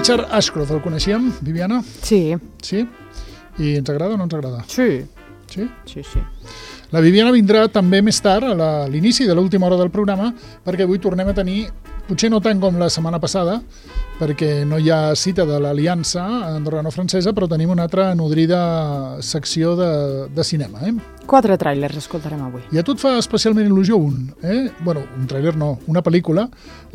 Richard Ashcroft, el coneixíem, Viviana? Sí. Sí? I ens agrada o no ens agrada? Sí. Sí? Sí, sí. La Viviana vindrà també més tard, a l'inici de l'última hora del programa, perquè avui tornem a tenir, potser no tant com la setmana passada, perquè no hi ha cita de l'Aliança andorrano-francesa, però tenim una altra nodrida secció de cinema. 4 tràilers escoltarem avui. I a tu et fa especialment il·lusió un. Bueno, un tràiler no, una pel·lícula,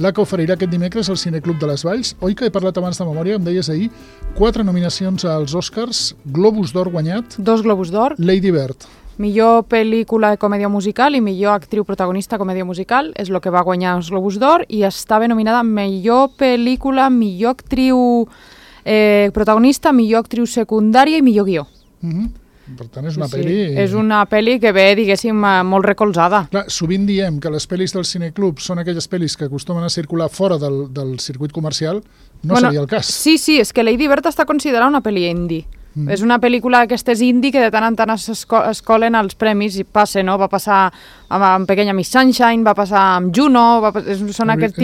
la que oferirà aquest dimecres al Cineclub de les Valls. Oi que he parlat abans de memòria, em deies ahir, 4 nominacions als Oscars, Globus d'Or guanyat. 2 Globus d'Or. Lady Bird. Millor pel·lícula de comèdia musical i millor actriu protagonista comèdia musical és el que va guanyar els Globus d'Or i estava nominada millor pel·lícula, millor actriu protagonista, millor actriu secundària i millor guió. Per tant, és una pel·li... És una pel·li que ve, diguéssim, molt recolzada. Clar, sovint diem que les pel·lis del Cineclub són aquelles pel·lis que acostumen a circular fora del circuit comercial. No seria el cas. Sí, és que Lady Bird està considerada una pel·li indie. És una pel·lícula d'aquestes indie que de tant en tant es colen als premis i passa, no? Va passar amb Pequeña Miss Sunshine, va passar amb Juno, són aquest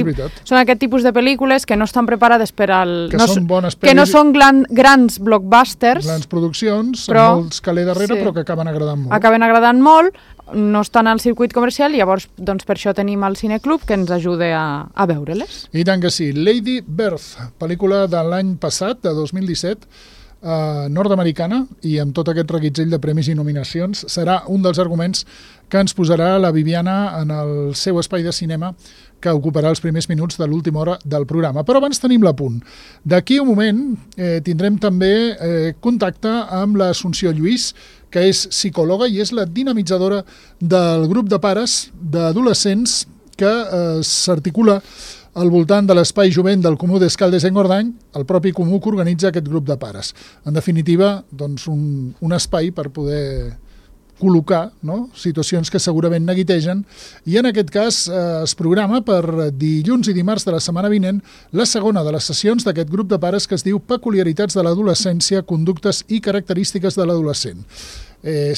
tipus de pel·lícules que no estan preparades per al... Són bones pel·lis... Que no són grans blockbusters. Grans produccions, amb molts calés darrere, però que acaben agradant molt. Acaben agradant molt, no estan al circuit comercial, llavors doncs, per això tenim el Cineclub que ens ajuda a veure-les. I tant que sí. Lady Bird, pel·lícula de l'any passat, de 2017, nord-americana, i amb tot aquest reguitzell de premis i nominacions, serà un dels arguments que ens posarà la Viviana en el seu espai de cinema que ocuparà els primers minuts de l'última hora del programa. Però abans tenim l'apunt. D'aquí un moment tindrem també contacte amb l'Assumpció Lluís, que és psicòloga i és la dinamitzadora del grup de pares d'adolescents que s'articula al voltant de l'espai jovent del Comú d'Escaldes-Engordany, el propi Comú que organitza aquest grup de pares. En definitiva, doncs, un espai per poder col·locar, no?, situacions que segurament neguitegen, i en aquest cas es programa per dilluns i dimarts de la setmana vinent la segona de les sessions d'aquest grup de pares que es diu Peculiaritats de l'adolescència, conductes i característiques de l'adolescent.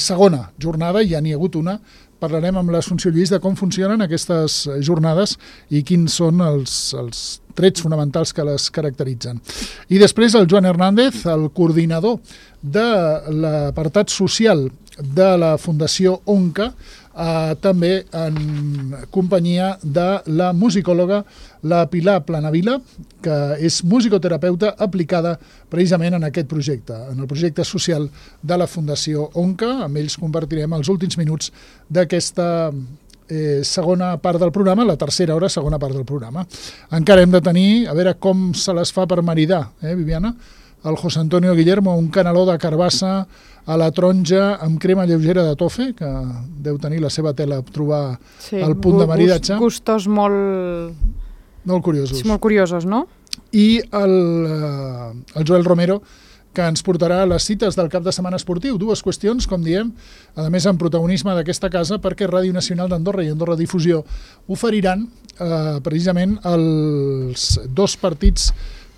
Segona jornada, ja n'hi ha hagut una. Parlarem amb l'Assumpció Lluís de com funcionen aquestes jornades i quins són els trets fonamentals que les caracteritzen. I després el Joan Hernández, el coordinador de l'apartat social de la Fundació ONCA, també en companyia de la musicòloga la Pilar Planavila, que és musicoterapeuta aplicada precisament en aquest projecte, en el projecte social de la Fundació ONCA. Amb ells compartirem els últims minuts d'aquesta segona part del programa, la tercera hora, segona part del programa. Encara hem de tenir, a veure com se les fa per maridar, Viviana? El José Antonio Guillermo, un caneló de carbassa a la taronja amb crema lleugera de tofe, que deu tenir la seva tela a trobar el punt de maridatge. Gustos molt curiosos. Sí, molt curiosos, no? I el Joel Romero, que ens portarà a les cites del cap de setmana esportiu. 2 qüestions, com diem, a més amb protagonisme d'aquesta casa, perquè Ràdio Nacional d'Andorra i Andorra Difusió oferiran precisament els 2 partits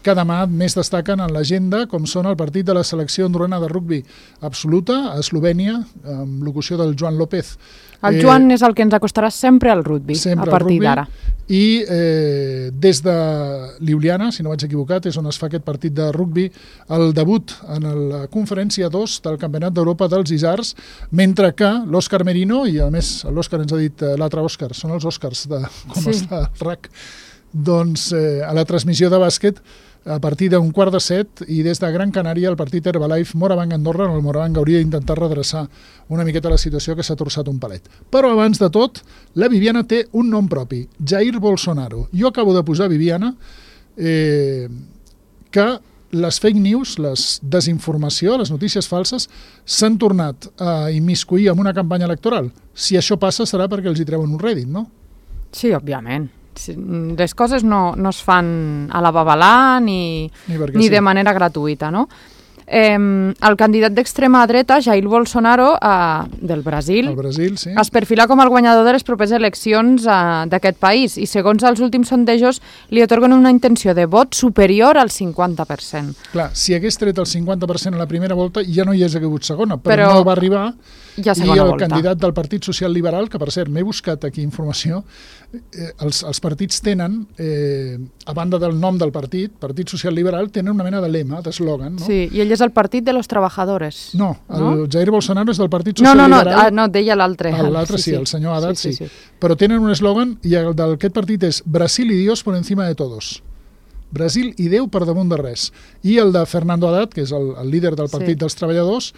que demà més destaquen en l'agenda, com són el partit de la selecció andorrana de rugbi absoluta, a Eslovènia, amb locució del Joan López. El Joan és el que ens acostarà sempre al rugbi, a partir d'ara. I des de Ljubljana, si no vaig equivocat, és on es fa aquest partit de rugbi, el debut en la conferència 2 del Campionat d'Europa dels Isars, mentre que l'Òscar Merino, i a més l'Òscar ens ha dit l'altre Òscar, són els Òscars de com està el RAC, doncs a la transmissió de bàsquet, a partir d'un 6:15 i des de Gran Canària el partit Herbalife Morabanc Andorra, on el Morabanc hauria d'intentar redreçar una miqueta la situació que s'ha torçat un palet. Però abans de tot, la Viviana té un nom propi, Jair Bolsonaro. Jo acabo de posar, Viviana, que les fake news, les desinformació, les notícies falses, s'han tornat a immiscuir en una campanya electoral. Si això passa serà perquè els hi treuen un rèdit, no? Sí, òbviament. Les coses no es fan a la babalà ni de manera gratuïta, no? el candidat d'extrema dreta, Jair Bolsonaro, del Brasil, sí. es perfila com el guanyador de les properes eleccions d'aquest país i segons els últims sondejos li atorguen una intenció de vot superior al 50%. Clar, si hagués tret el 50% a la primera volta ja no hi hagués hagut segona, però no va arribar. I el candidat del Partit Social Liberal, que per cert m'he buscat aquí informació, els partits tenen, a banda del nom del Partit Social Liberal, tenen una mena de lema, d'eslògan, no? Sí, i ell és el Partit de los Trabajadores. No, el Jair Bolsonaro és del Partit Social Liberal. No, deia l'altre. L'altre sí, el senyor Haddad sí. Però tenen un eslògan i el d'aquest partit és Brasil y Dios por encima de todos. Brasil i Déu per damunt de res. I el de Fernando Haddad, que és el líder del Partit dels Treballadors,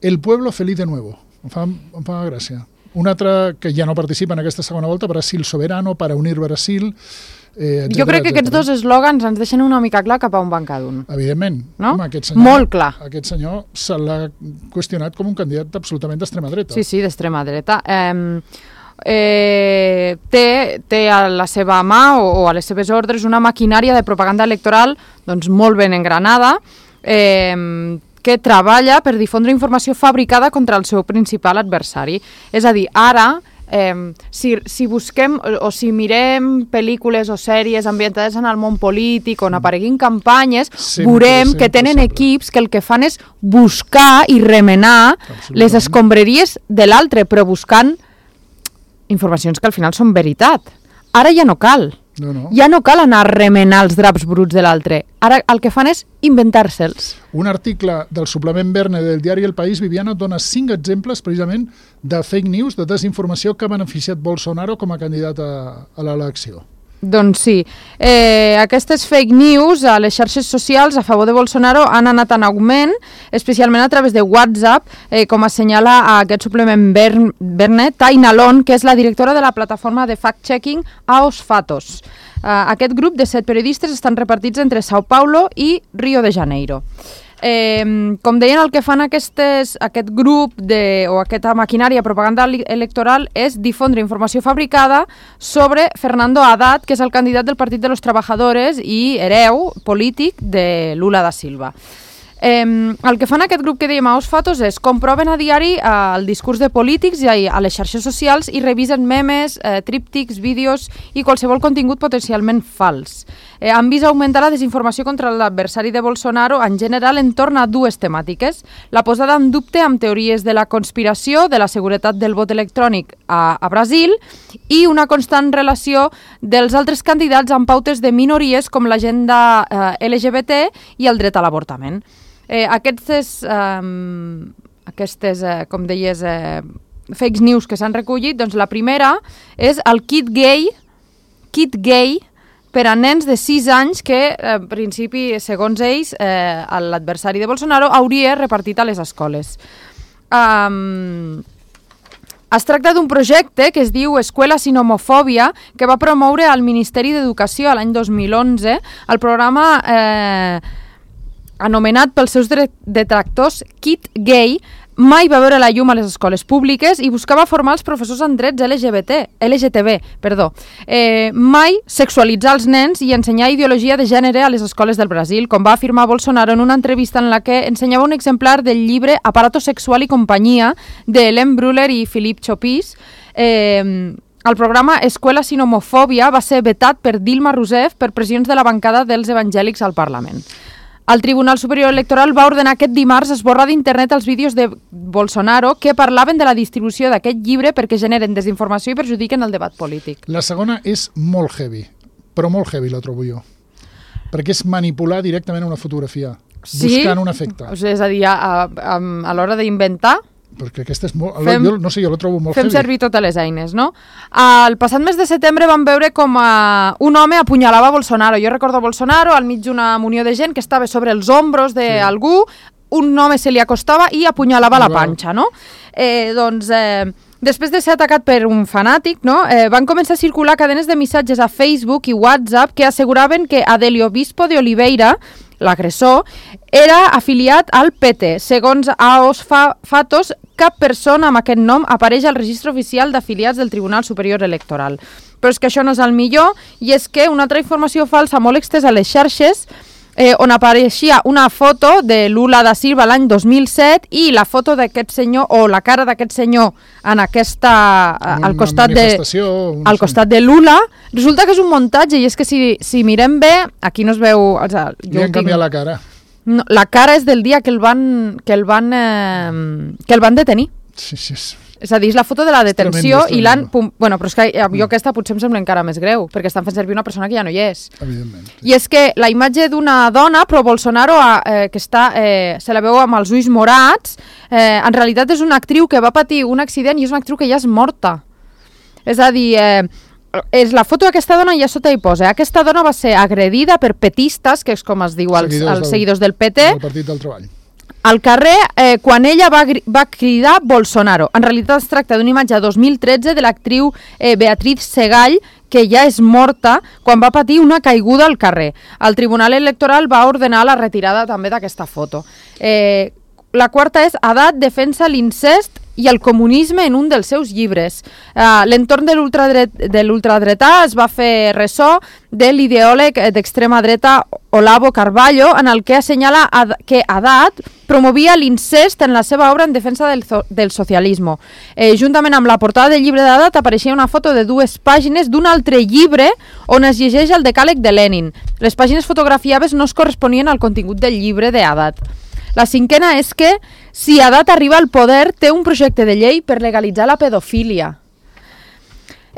el pueblo feliz de nuevo. Em fa gràcia. Un altre que ja no participa en aquesta segona volta, Brasil soberano, para unir Brasil, etcètera. Jo crec que aquests dos eslògans ens deixen una mica clar cap a on van cada un. Evidentment. No? Home, aquest senyor, molt clar. Aquest senyor se l'ha qüestionat com un candidat absolutament d'extrema dreta. Sí, d'extrema dreta. Té a la seva mà o a les seves ordres una maquinària de propaganda electoral doncs, molt ben engranada, que treballa per difondre informació fabricada contra el seu principal adversari. És a dir, ara, si busquem o si mirem pel·lícules o sèries ambientades en el món polític on apareguin campanyes, veurem que tenen equips que el que fan és buscar i remenar les escombraries de l'altre, però buscant informacions que al final són veritat. Ara ja no cal. Ja no cal anar a remenar els draps bruts de l'altre. Ara el que fan és inventar-se'ls. Un article del suplement Verne del diari El País, Viviana, dona 5 exemples precisament de fake news, de desinformació que ha beneficiat Bolsonaro com a candidat a l'elecció. Doncs sí. Aquestes fake news a les xarxes socials a favor de Bolsonaro han anat en augment, especialment a través de WhatsApp, com assenyala a aquest suplement Verne, Taina Lon, que és la directora de la plataforma de fact-checking Aos Fatos. Aquest grup de 7 periodistes estan repartits entre Sao Paulo i Rio de Janeiro. Com deien, el que fan aquest grup o aquesta maquinària propaganda electoral és difondre informació fabricada sobre Fernando Haddad, que és el candidat del Partit de los Trabajadores i hereu polític de Lula da Silva. El que fan aquest grup que dèiem a Os Fatos és comproven a diari el discurs de polítics i a les xarxes socials i revisen memes, tríptics, vídeos i qualsevol contingut potencialment fals. Han vist augmentar la desinformació contra l'adversari de Bolsonaro en general entorn a dues temàtiques: la posada en dubte amb teories de la conspiració, de la seguretat del vot electrònic a Brasil i una constant relació dels altres candidats amb pautes de minories com l'agenda LGBT i el dret a l'avortament. Aquestes, com deies, fake news que s'han recollit, doncs la primera és el kit gay per a nens de 6 anys que, en principi, segons ells, l'adversari de Bolsonaro hauria repartit a les escoles. Es tracta d'un projecte que es diu Escuela sin homofòbia, que va promoure al Ministeri d'Educació l'any 2011, el programa anomenat pels seus detractors Kit Gay, mai va veure la llum a les escoles públiques i buscava formar els professors en drets LGTB, mai sexualitzar els nens i ensenyar ideologia de gènere a les escoles del Brasil, com va afirmar Bolsonaro en una entrevista en la que ensenyava un exemplar del llibre Aparato sexual i companyia de Hélène Brüller i Philippe Chopis. El programa Escuela sin homofòbia va ser vetat per Dilma Rousseff per pressions de la bancada dels evangèlics al Parlament. El Tribunal Superior Electoral va ordenar aquest dimarts esborrar d'internet els vídeos de Bolsonaro que parlaven de la distribució d'aquest llibre perquè generen desinformació i perjudiquen el debat polític. La segona és molt heavy, però molt heavy la trobo jo, perquè és manipular directament una fotografia, buscant un efecte. És a dir, a l'hora d'inventar... Perquè aquesta és molt... jo la trobo molt heavy. Fem servir totes les eines, no? El passat mes de setembre vam veure com un home apunyalava Bolsonaro. Jo recordo Bolsonaro al mig d'una munió de gent que estava sobre els ombros d'algú, un home se li acostava i apunyalava la panxa, no? Després de ser atacat per un fanàtic, van començar a circular cadenes de missatges a Facebook i WhatsApp que asseguraven que Adelio Bispo de Oliveira, l'agressor, era afiliat al PT. Segons Aos Fatos, cap persona amb aquest nom apareix al registre oficial d'afiliats del Tribunal Superior Electoral. Però és que això no és el millor, i és que una altra informació falsa molt extesa a les xarxes on apareixia una foto de Lula da Silva l'any 2007 i la foto d'aquest senyor, o la cara d'aquest senyor en aquesta, al costat de Lula. Resulta que és un muntatge, i és que si mirem bé, aquí no es veu... Li han canviat la cara. No, la cara és del dia que el van detenir. Sí. És a dir, és la foto de la detenció i l'han... Bueno, però és que jo aquesta potser em sembla encara més greu, perquè estan fent servir una persona que ja no hi és. Evidentment. I és que la imatge d'una dona, però Bolsonaro, que està, se la veu amb els ulls morats, en realitat és una actriu que va patir un accident i és una actriu que ja és morta. És a dir... és la foto d'aquesta dona i a sota hi posa. Aquesta dona va ser agredida per petistes, que és com es diu als seguidors del PT, del Partit del Treball, al carrer quan ella va cridar Bolsonaro. En realitat es tracta d'una imatge de 2013 de l'actriu Beatriz Segall, que ja és morta quan va patir una caiguda al carrer. El Tribunal Electoral va ordenar la retirada també d'aquesta foto. La quarta és Haddad defensa l'incest i el comunisme en un dels seus llibres. L'entorn de l'ultradretà es va fer ressò de l'ideòleg d'extrema dreta Olavo Carballo, en el que assenyala que Haddad promovia l'incest en la seva obra en defensa del socialisme. Juntament amb la portada del llibre d'Haddad apareixia una foto de 2 pàgines d'un altre llibre on es llegeix el decàleg de Lenin. Les pàgines fotografiades no es corresponien al contingut del llibre de Haddad. La cinquena és que, si Haddad arriba al poder, té un projecte de llei per legalitzar la pedofília.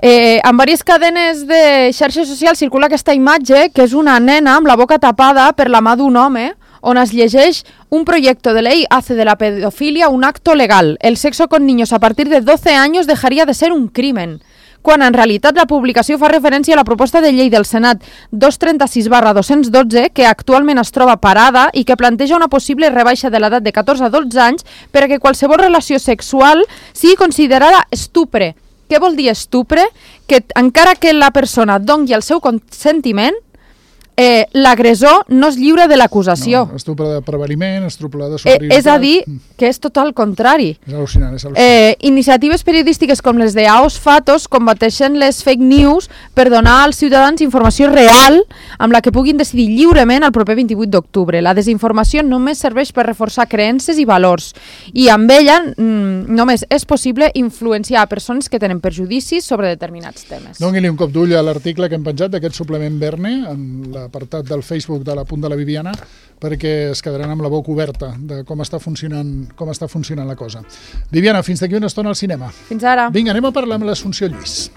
En diverses cadenes de xarxes socials circula aquesta imatge, que és una nena amb la boca tapada per la mà d'un home, on es llegeix: un proyecto de ley hace de la pedofilia un acto legal. El sexo con niños a partir de 12 años dejaría de ser un crimen. Quan en realitat la publicació fa referència a la proposta de llei del Senat 236/212, que actualment es troba parada i que planteja una possible rebaixa de l'edat de 14 a 12 anys perquè qualsevol relació sexual sigui considerada estupre. Què vol dir estupre? Que encara que la persona doni el seu consentiment, l'agressor no es lliure de l'acusació. No, estupre de preveniment, estupre de superioritat... És a dir, que és tot el contrari. És al·lucinant, Iniciatives periodístiques com les de Aos Fatos combateixen les fake news per donar als ciutadans informació real amb la que puguin decidir lliurement el proper 28 d'octubre. La desinformació només serveix per reforçar creences i valors, i amb ella només és possible influenciar persones que tenen perjudicis sobre determinats temes. Doni-li un cop d'ull a l'article que hem penjat d'aquest suplement Verne en l'apartat del Facebook de l'Apunt de la Viviana, perquè es quedaran amb la boca oberta de com està funcionant la cosa. Viviana, fins d'aquí una estona al cinema. Fins ara. Vinga, anem a parlar amb l'Assumpció Lluís.